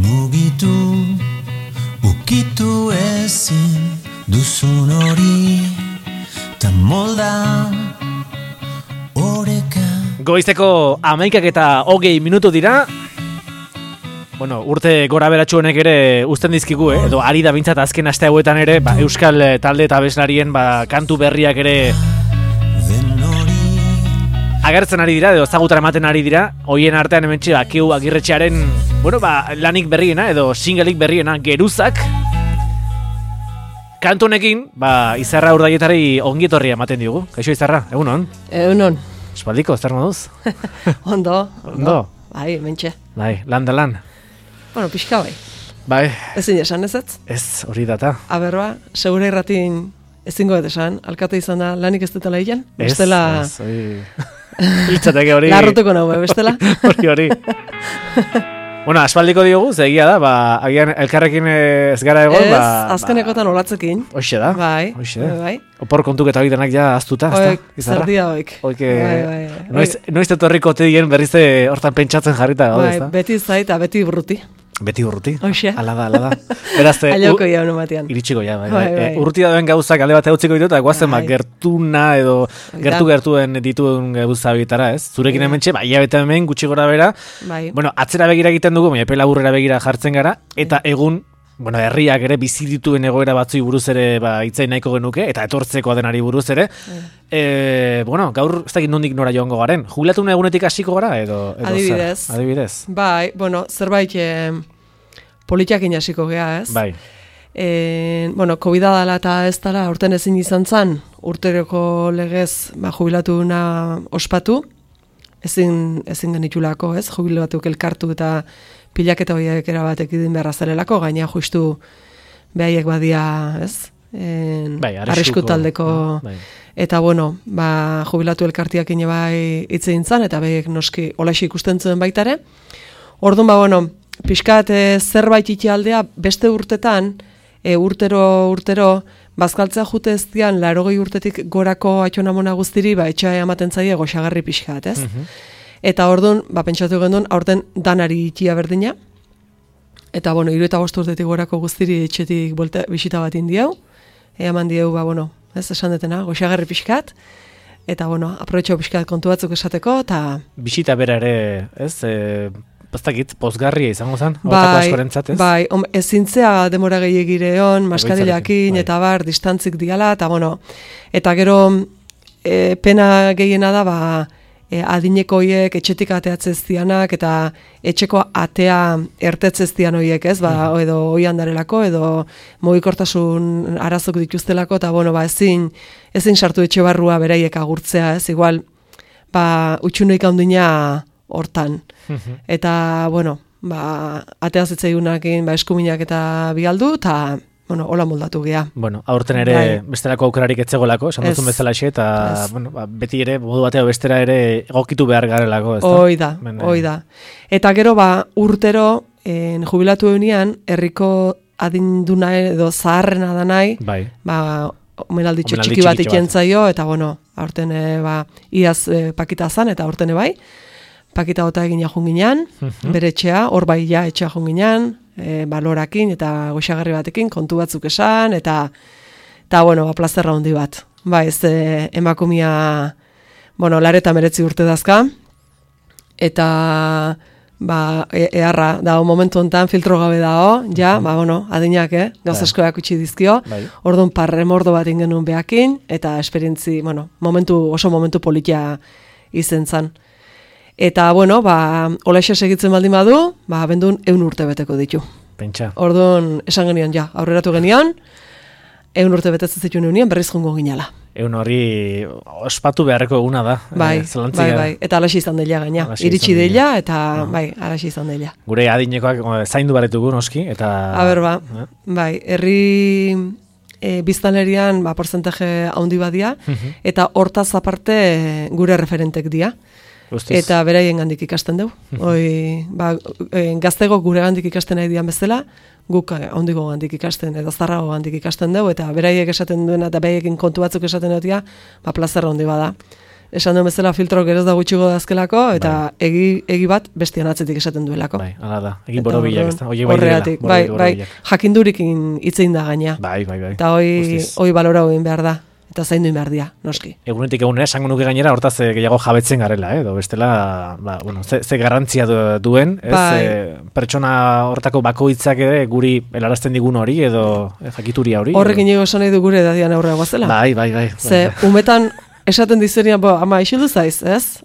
mugitu, ukitu ezin duzun hori, ta molda oreka. Goizeko 11:20 dira. Bueno, urte gora beratxu honek ere uzten dizkigu, edo ari da bintzat azken aste hauetan ere, euskal talde eta abeslarien kantu berriak ere agertzen ari dira, edo ezagutara ematen ari dira. Hoien artean hementxe Keu Agirretxearen, lanik berriena, edo singleik berriena, Geruzak. Kantu honekin, Izarra Urdaietari ongietorria ematen diogu. Kaixo Izarra, egunon? Egunon. Espaldiko, zer moduz? Ondo. Ondo? Bai, mentxe. Bai, lan da lan. Bueno, pixka bai. Bai. Ezin esan ezetz? Ez, hori data. Aberba, segura irratin ezingo esan, alkate izan da lanik ez dutela hilan? Ez, hori... Iltzateke hori... Larrotuko nahu, bestela? Hori. Bueno, aspaldiko diogu, egia da, agian elkarrekin ez gara egon, Ez, azkenekotan olatzekin. Hoxe da. Bai. Opor kontuketa hori denak ja aztuta, ez da? Zerdia hoik. Noiz etorriko dien berriz hortan pentsatzen jarrita gaude, ez da? Beti zaita, beti burruti. Beti urruti. Hoxe. Ala da. Beraz, Aioko jaun ematean. Iritsiko ja, bai. Urrutia dauen gauzak alde bat eutziko ditu, eta guazen gertuna edo gertuen dituen gauza bitara, ez? Zurekin hementxe, hilabete hemen gutxi gora bera. Bai. Bueno, atzera begira egiten dugu, epe laburrera begira jartzen gara, eta egun, herriak ere bizi dituen egoera batzui buruz ere hitzain nahiko genuke, eta etortzekoa denari buruz ere. Gaur ez dakit nondik nora joango garen. Jubilatun egunetik hasiko gara edo Adibidez. Adibidez. Bai, zerbait politiakin hasiko gea, ez? Bai. COVID-a dela eta ez dela, urten ezin izan zan, urteroko legez jubilatuna ospatu, ezin genitulako, ez? Jubilatuk elkartu eta pilaketa horiek erabatek idin beharra zarelako, gaina justu behaiek badia, ez? Arrisku taldeko, eta jubilatu elkartiak ine bai itzein zan, eta behaiek noski olaxi ikusten zuen baitare. Orduan, pixkat zerbait itialdea beste urtetan, urtero, bazkaltzea jute ez dian, 80 urtetik gorako atxonamona guztiri, etxea ematen zaie goxagarri pixkat, ez? Eta orduan, pentsatu gendun, aurten danari itia berdina. Eta, 75 urtetik gorako guztiri etxetik bisita bat indiau. Eman dieu, ez esan detena, goxagarri pixkat. Eta, aprobetxo pixkat kontu batzuk esateko, eta... Bisita bera ere, ez? Bastakit, pozgarria izango zen, hortako askorentzat, ez? Bai, ezintzea demora gehiagireon, maskarilakin, eta distantzik diala, eta gero pena gehiena da, adineko hoiek etxetik ateatzez dianak, eta etxeko atea ertetzez dian hoiek, ez? Edo hoian darelako, edo mugikortasun arazok dituztelako, eta ezin sartu etxe barrua beraiek agurtzea, ez? Igual, utxunoik handina hortan. Eta, ateaz etzaiunakin eskuminak eta bialdu, eta, hola moldatu gea. Aurten ere bestelako aukerarik etzegolako, esan duzun bezala eta, beti ere, modu bateo bestera ere egokitu behar garelako, ez da? Hoi da. Eta gero, urtero, jubilatu egunean, herriko adinduna edo zaharrena da nahi, omenalditxo txiki bat ikentzaio, eta, aurten, iaz pakita zan, eta aurten bai, pakita gota egin jahun ginean, bere etxea, hor bai ja etxea jahun ginean, balorakin eta goxagarri batekin, kontu batzuk esan, eta plazerra handi bat. Ez emakumia, lareta meretzi urte dazka, eta eharra, momentu honetan filtro gabe dao, adinak, gauz askoak utzi dizkio, orduan parremordo bat ingenuen behakin, eta esperientzi, oso momentu politia izen zan. Eta, olaxe segitzen baldin badu, bendun 100 urte beteko ditu. Pentsa. Orduan, esan genion, aurreratu genion, 100 urte betetzen zituen egunien, berriz jongo ginala. 100 hori ospatu beharreko eguna da. Bai. Eta alaxi izan dela gaina. Iritsi dela, eta alaxi izan dela. Gure adinekoak zaindu baretugu noski, eta... herri biztanlerian porcentaje handi badia, eta hortaz aparte gure referentek dia. Eta beraien gandik ikasten dugu. Gaztego gure gandik ikasten nahi dian bezala, guk ondiko gandik ikasten, edo zarrago gandik ikasten dugu, eta beraiek esaten duena, eta beraiekin kontu batzuk esaten dutia, plazerra handi bada. esan duen bezala filtro geroz da gutxigo dazkelako, eta egi bat bestian atzetik esaten duelako. Bai, hala da, egin borobilak, ez da, horregatik, bai, jakindurikin hitzein da gaina. Bai. Eta hoi balorau egin behar da. Eta zaindu behar dia, noski. Egunetik egunera, esango nuke gainera, hortaz gehiago jabetzen garela, edo bestela, ze garrantzia duen, pertsona hortako bakoitzak ere guri helarazten digun hori, edo jakituria hori. Horrekin ego esan nahi du gure edadian aurrera guazela. Bai. Ze, umetan esaten dizerian, ama, isildu zaiz, ez?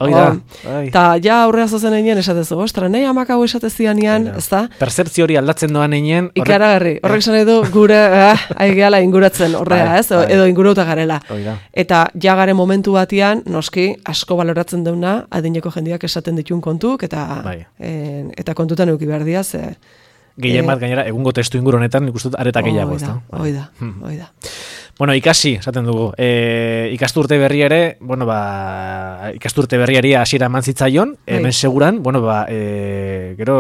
Eta ja aurrera zozen egin esatezu, ostra, nahi amak hau esatezian ean, ez da? Percepzio hori aldatzen doan egin. Ikaragarri, horrek esan nahi du gure, aigeala inguratzen horrea, ez? Edo ingurauta garela. Eta ja garen momentu batian, noski, asko baloratzen deuna, adineko jendiak esaten ditun kontuk, eta kontutan euki behar dia, ze... Gehien bat gainera, egungo testu inguru honetan, ikustut areta gehiago, ez da? Hoi da. Bueno, ikasi, esaten dugu. Ikasturte berri ere, ikasturte berriari hasiera eman zitzaion, hemen seguran, gero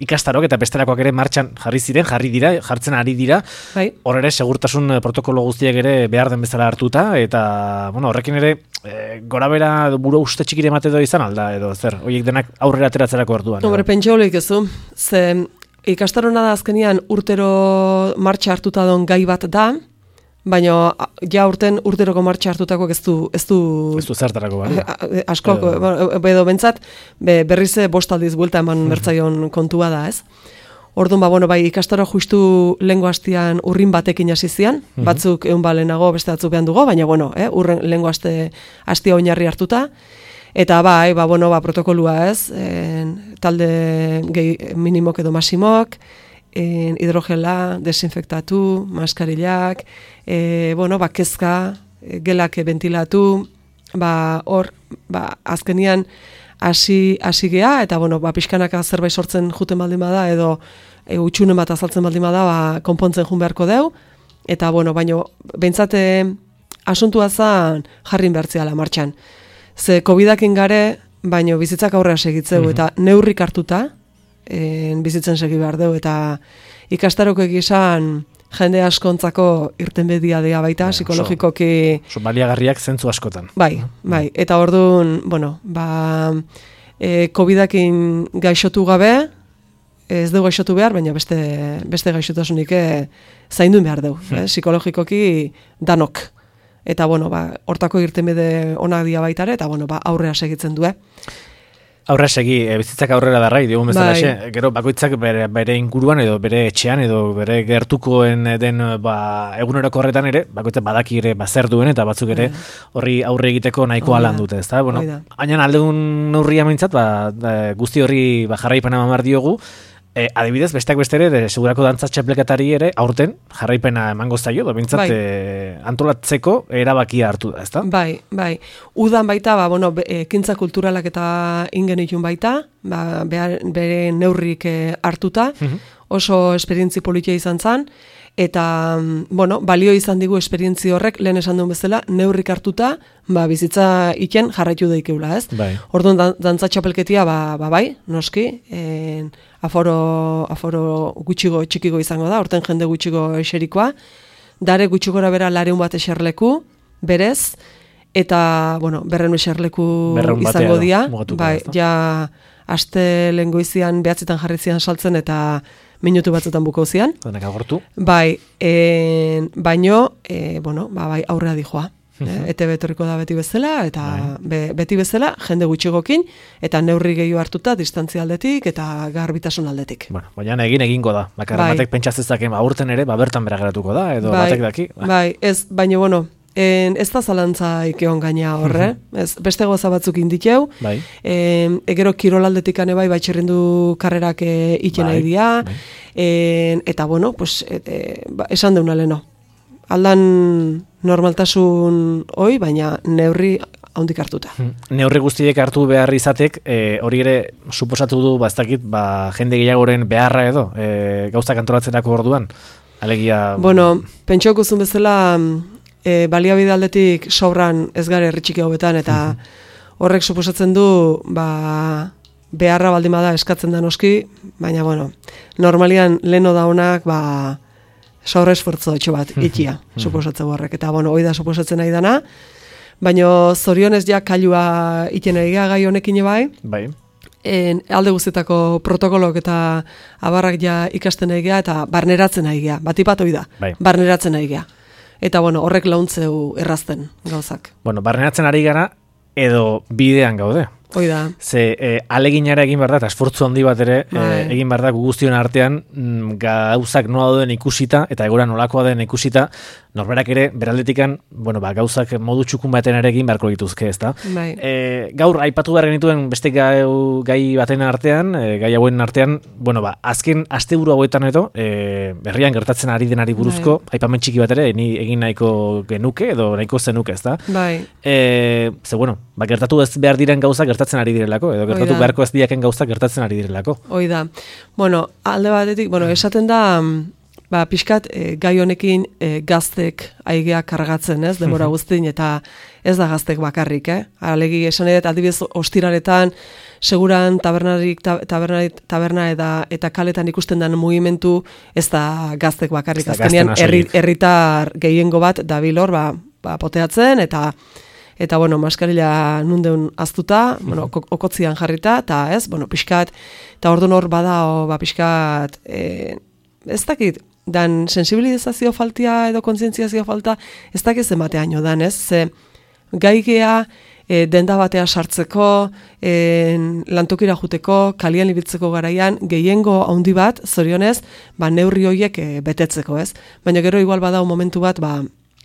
ikastarok eta bestelakoak ere martxan jartzen ari dira. Hor ere, segurtasun protokolo guztiak ere behar den bezala hartuta, eta, horrekin ere, gorabera buru uste txikire emate edo izan alda, edo zer, horiek denak aurrera ateratzerako orduan. Pentsa holik ezu, ze ikastarona da azkenian urtero martxa hartuta don gai bat da, baina ja urten urteroko martxa hartutakoak ez du zertarako, bai? Asko, edo bentsat, berriz bost aldiz buelta eman bertzaion kontua da, ez? Orduan, ikastaro justu lehengo hastian urrin batekin hasi zian, batzuk egun lehenago, beste batzuk behan dugu, baina, urren lehengo hastia oinarri hartuta, eta protokolua, ez? Talde minimok edo masimok, hidrogela, desinfektatu, maskarillak, kezka, gelak ventilatu, azkenian hasi gea, eta pixkanaka zerbait sortzen juten baldin bada, edo utxunen bat azaltzen baldin bada, konpontzen jun beharko deu, eta baino, behintzate asuntua zan jarrin behartziala martxan. Ze COVID-akin gare, baino bizitzak aurrera segitzeu, eta neurrik hartuta, bizitzen segi behar deu, eta ikastaroko egizan jende askontzako irtenbedia dea baita, psikologikoki... Baliagarriak zentzu askotan. Bai, eta orduan, COVID-akin gaixotu gabe, ez dugu gaixotu behar, baina beste gaixotasunik zainduen behar deu, psikologikoki danok. Eta, hortako irtenbide onak dia baitare, eta, aurrera segitzen du, Aurrera segi, bizitzak aurrera darrai, diogun bezala, gero bakoitzak bere inguruan edo bere etxean edo bere gertukoen den eguneroko horretan ere, bakoitzak badaki ere zer duen eta batzuk ere horri aurre egiteko nahikoa lan dute, ezta? Hainan aldegun neurria mintzat, guzti horri jarraipena mamar diogu, adibidez, besteak beste ere, segurako dantza txaplekatari ere, aurten jarraipena emango zaio, bintzat antolatzeko erabakia hartu da, ezta? Bai. Udan baita, ekintza kulturalak eta ingenitun baita, bere neurrik hartuta, oso esperientzi politia izan zan, eta, balio izan digu esperientzi horrek, lehen esan duen bezala, neurrik hartuta, bizitza iken jarraitu daikeula, ez? Orduan, dantza txapelketia, noski, aforo gutxigo txikiko izango da, orten jende gutxigo eserikoa, dare gutxigora bera lareun bat eserleku, berez, eta, berren eserleku izango dia, ja, aste lehen goizian behatzitan jarri zian saltzen, eta minutu batzutan buko zian. Baino, aurrera dijoa. Ete betorriko da beti bezala, eta beti bezala, jende gutxigokin, eta neurri gehiago hartuta, distantzia aldetik, eta garbitasun aldetik. Baina egingo da. Bakarra batek pentsatzezaken aurten ere, bertan berageratuko da, edo batek daki. Baina, ez da zalantza ikeon gaina horre, beste goza batzuk indikeu, egero kirolaldetik ane txerrindu karrerak iten nahi dira, eta esan deuna leno. Aldan normaltasun hoi, baina neurri haundik hartuta. Neurri guztiek hartu behar izatek, hori ere suposatu du, jende gehiagoren beharra edo, gauzak antolatzerako orduan, alegia... Pentsoko zuen bezala, baliabide aldetik sobran ez gare herritxiki hobetan, eta horrek suposatzen du, beharra baldin bada eskatzen da noski, baina, normalian leno da honak, sobre esfortzo etxo bat, ikia, suposatzen horrek. Eta, hoi da suposatzen nahi dana, Baina zorionez ja kailua iten egia gai honekin bai. Bai. Alde guztietako protokolok eta abarrak ja ikasten egia eta barneratzen egia. Batipat hoi da, bai. Barneratzen egia. Eta bueno, horrek launtzeu errazten gauzak. Bueno, barneratzen ari gara edo bidean gaude. Hoi da. Ze aleginara egin behar da, eta esfortzu handi bat ere egin behar da guztion artean gauzak nola dauden ikusita, eta egora nolakoa den ikusita, norberak ere, beraldetikan, bueno, gauzak modu txukun baten ere egin beharko dituzke, ezta? Bai. Gaur, aipatu behar genituen beste gai baten artean, gai hauen artean, bueno, azken asteburu hauetan edo, berrian gertatzen ari denari buruzko, aipamen txiki bat ere, ni egin nahiko genuke, edo nahiko zenuke, ezta? Bai. Ze, bueno, gertatu ez behar diren gauzak gertatzen ari direlako, edo gertatu beharko ez diaken gauzak gertatzen ari direlako. Hoi da. Bueno, alde batetik, esaten da, pixkat gai honekin gaztek aigea kargatzen, ez, denbora guztin, eta ez da gaztek bakarrik, Alegi esan edo, adibidez ostiraretan, seguran taberna eta kaletan ikusten den mugimendu, ez da gaztek bakarrik. Azkenean, herritar gehiengo bat dabil hor, poteatzen, eta bueno, maskarila nundeun aztuta, okotzian jarrita, eta ez, pixkat, eta orduan hor bada, pixkat, ez dakit, dan sensibilizazio faltia edo kontzientziazio falta, ez dakit zenbateaino dan, ez, ze gaigea denda batea sartzeko, lantokira juteko, kalian ibiltzeko garaian, gehiengo handi bat, zorionez, neurri horiek betetzeko, ez, baina gero igual badau momentu bat,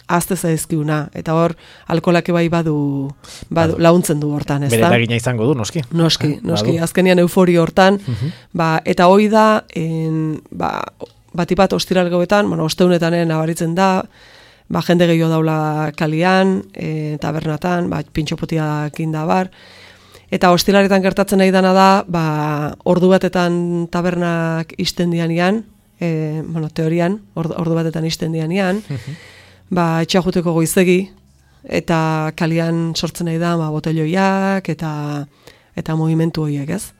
azte zaizkiuna, eta hor alkoholak bai badu launtzen du hortan, ez da? Bere eragina izango du, noski. Noski, azkenian euforio hortan, eta hoi da, batipat ostiral gauetan, osteunetan nabaritzen da, jende gehiago daula kalian, tabernatan, pintxopotiak indabar, eta ostilaretan gertatzen nahi dana da, ordu batetan tabernak isten dianian, teorian, ordu batetan isten dianian, etxajuteko goizegi, eta kalian sortzen nahi da, botelloiak, eta movimentu horiek, ez?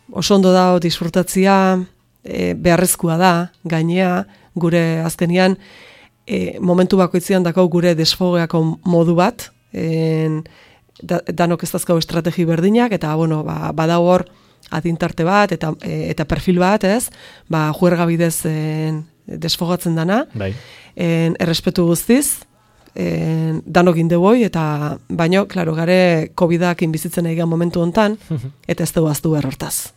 Oso ondo da, disfrutatzia, beharrezkoa da, gainea, gure azkenian, momentu bakoitzean dakau gure desfogeako modu bat, danok ez dazkau estrategi berdinak, eta, badau hor, adintarte bat, eta perfil bat, ez? Juerga bidez desfogatzen dana, errespetu guztiz, danok indeboi, eta baino, klaro, gare COVID-ak inbizitzen egian momentu hontan, eta ez dugu aztu errortaz.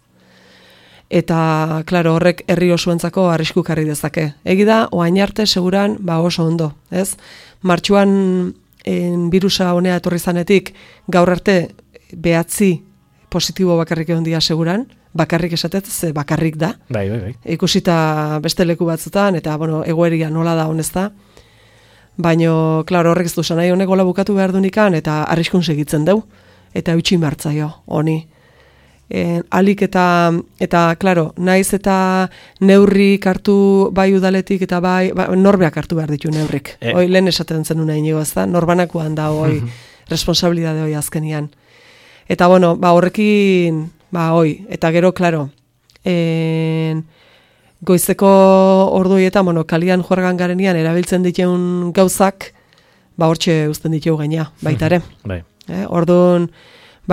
Eta, klaro, horrek herri osoentzako arrisku karri dezake. Egi da, oain arte seguran, oso ondo, ez? Martxuan birusa honea etorri zanetik, gaur arte behatzi positibo bakarrik egon dia seguran, bakarrik esatet, ze bakarrik da. Bai. Ikusita beste leku batzutan, eta, egoeria nola da honezta. Baina, klaro, horrek ez du nahi honek gola bukatu behar dunikan, eta arriskun segitzen deu. Eta eutxin martzaio, honi. Alik eta, klaro, naiz eta neurrik hartu bai udaletik, eta bai norbeak hartu behar ditu neurrik. Hoi, lehen esaten zenuna inigo, ez da? Norbanakoan da, hoi, responsabilidade hoi azkenian. Eta, horrekin, eta gero, klaro, goizeko orduietan, kalian juergan garenian, erabiltzen dituen gauzak, hortxe uzten ditu gaina, baitare. Orduan,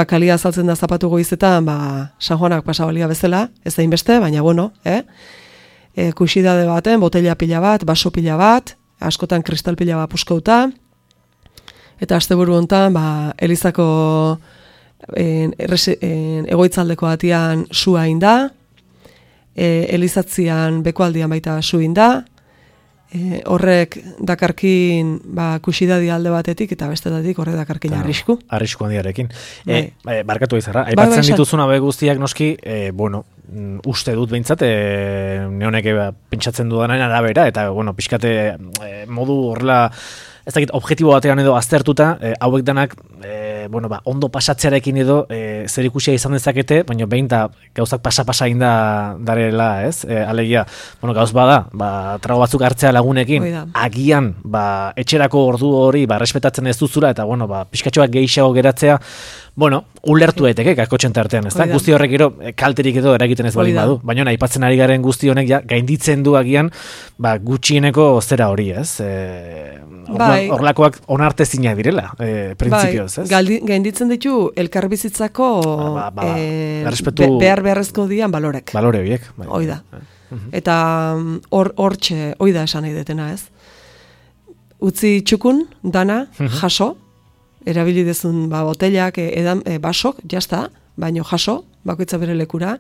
kalia azaltzen da zapatu goizetan, San Juanak pasabalia bezala, ez da inbeste, baina, kuxidade baten, botella pila bat, baso pila bat, askotan kristal pila bat puskauta, eta asteburu hontan, Elizako egoitzaldeko atian sua inda, Elizatzian bekualdian baita su inda, horrek dakarkin kuxidadi alde batetik eta bestetatik horrek dakarkin arrisku. Arrisku handiarekin. Barkatu izarra, aipatzen dituzun abe guztiak noski, uste dut behintzat, neonek pentsatzen dudanaren arabera, eta, pixkate modu horrela, ez dakit, objektibo batean edo aztertuta, hauek danak, ondo pasatzearekin edo zer ikusia izan dezakete, baina behin da gauzak pasa-pasa inda darela, ez? Alegia, gauz bada, trago batzuk hartzea lagunekin, agian, etxerako ordu hori, respetatzen ez duzula, eta, pixkatxoak gehiago geratzea, Bueno, ulertu daiteke kakotxen tartean, ezta? Guzti horrek gero kalterik edo eragiten ez baldin badu. Baina aipatzen ari garen guzti honek ja gainditzen du agian, gutxieneko zera hori, ez? Horlakoak onartezinak direla, printzipioz, ez? Gainditzen ditu elkarbizitzako beharrezko dian balorek. Balore horiek. Hoi da. Eta hortxe, hoi da esan nahi detena, ez? Utzi txukun, dana, jaso, erabili dezun botellak, basok, jazta, baino jaso, bakoitza bere lekura,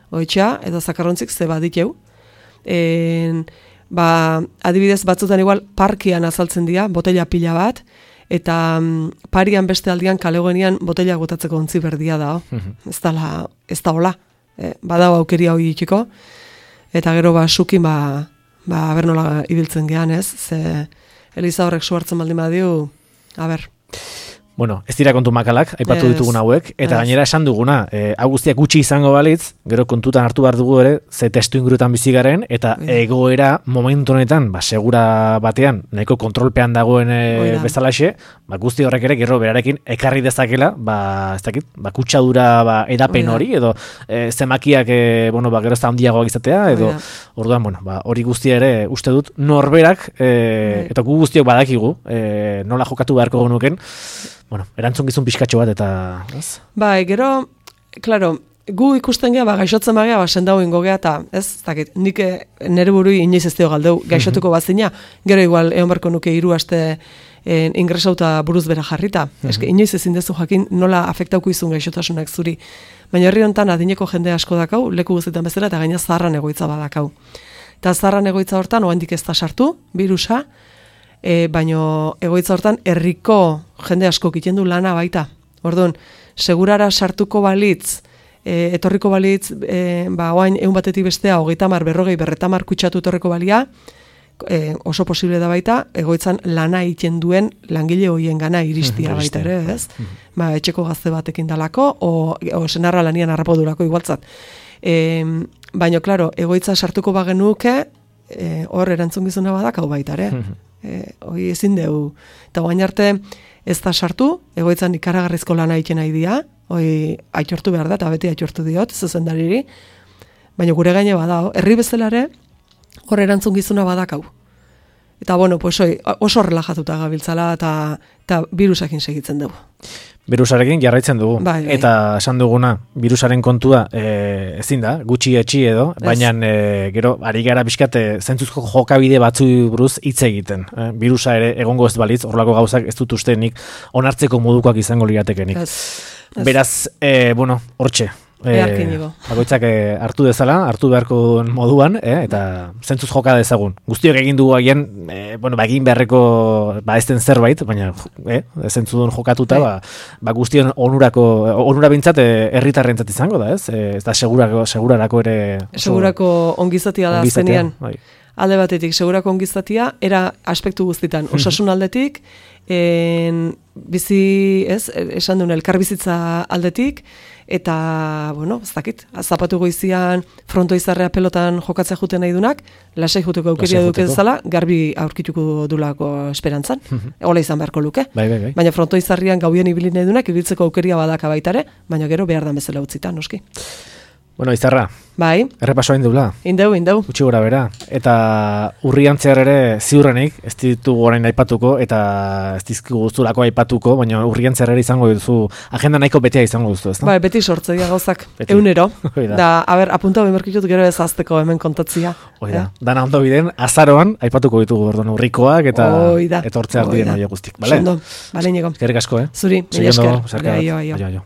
oitxa, edo zakarrontzik ze baditeu. Adibidez, batzutan igual parkian azaltzen dira, botella pila bat, eta parian beste aldian kalegoenian botella botatzeko ontzi berdia da. Ez da hola. Badao aukeria hori itxiko, eta gero sukin bernola ibiltzen gehan, ez? Ze Eliza horrek suhartzen baldin badiu, Bueno, ez dira kontu makalak, aipatu ditugun hauek, eta gainera esan duguna, hau guztiak gutxi izango balitz, gero kontutan hartu behar dugu ere, ze testu ingurutan bizi garen, eta egoera momentu honetan, segura batean, nahiko kontrolpean dagoen bezalaxe, guzti horrek ere, gero berarekin ekarri dezakela, ez dakit, kutsadura edapen hori, edo zemakiak, gero ez da handiagoak izatea, edo, orduan, hori guztia ere, uste dut, norberak, eta gu guztiok badakigu, nola jokatu beharko genuken, erantzun gizun pixkatxo bat eta... Gero, klaro, gu ikusten geha, gaixotzen bagea, sendau ingo geha, eta ez, dakit, nik nere burui inoiz ez deo galdeu, gaixotuko bazina, gero igual, egon barko nuke 3 aste ingresauta buruz bera jarrita. Inoiz ezin dezu jakin nola afektauko izun gaixotasunak zuri. Baina herri honetan adineko jende asko dakau, leku guztietan bezala, eta gaina zaharran egoitza badakau. Eta zaharran egoitza hortan, oandik ez da sartu, virusa, baino egoitza hortan herriko jende asko egiten du lana baita. Orduan, segurara sartuko balitz, etorriko balitz, oain 100 batetik bestea, 30, 40, 50 kutsatu etorriko balia, oso posible da baita, egoitzan lana egiten duen langile hoien gana iristia baita ere, ez? Etxeko gazte batekin dalako, o senarra lanian harrapodurako igualtzat. Baina, klaro, egoitza sartuko bagenuke, hor erantzun gizuna badak hau baita ere. Hoi ezin dugu. Eta guain arte ez da sartu, egoitzan ikaragarrizko lana egiten nahi dia, hoi aitortu behar da, eta beti aitortu diot, zuzendariri, baina gure gaine badao, herri bezalare, hor erantzun gizuna badakau. Eta oso relajatuta gabiltzala, eta virusakin segitzen dugu. Virusarekin jarraitzen dugu. Eta esan duguna, virusaren kontua ezin da, gutxi etxi edo, baina gero, ari gara bizkat zentzuzko jokabide batzu buruz hitz egiten. Virusa ere egongo ez balitz, horrelako gauzak ez dut ustenik onartzeko modukoak izango liratekenik. Beraz, hortxe. Bakoitzak hartu dezala, hartu beharko moduan, eta zentzuz joka dezagun. Guztiok egin dugu agian, egin beharreko ez den zerbait, baina zentzudun jokatuta, guztion onura bintzat herritarrentzat izango da, ez? Ez da segurarako ere... Segurako ongizatia da azkenean. Alde batetik, segurako ongizatia, era aspektu guztitan. Osasun aldetik, bizi, esan duen, elkarbizitza aldetik, eta, ez dakit, zapatu goizian, frontoizarrea pelotan jokatzea juten nahi dunak, lasai juteko aukeria duke dezala, garbi aurkituko dulako esperantzan. Ola izan beharko luke. Baina frontoizarrian gaubien ibili nahi dunak, ibiltzeko aukeria badaka baitare, baina gero behar da bezala utzita, noski. Izarra, errepasoa indula. Indeu. Utsi gora bera. Eta urrian zehar ere ziurrenik, ez ditugu orain aipatuko, eta ez dizkigu guztulako aipatuko, baina urrian zehar ere izango duzu, agenda nahiko betea izango duzu, ez da? Beti sortze dira gauzak, eunero. Da, apunta bemerkitut gero ez azteko hemen kontatzia. Dana ondo biden, azaroan aipatuko ditugu urrikoak, eta etortze ardien hori guztik. Sondo, bale niego. Eskerrik asko, Zuri, mila esker. Aio.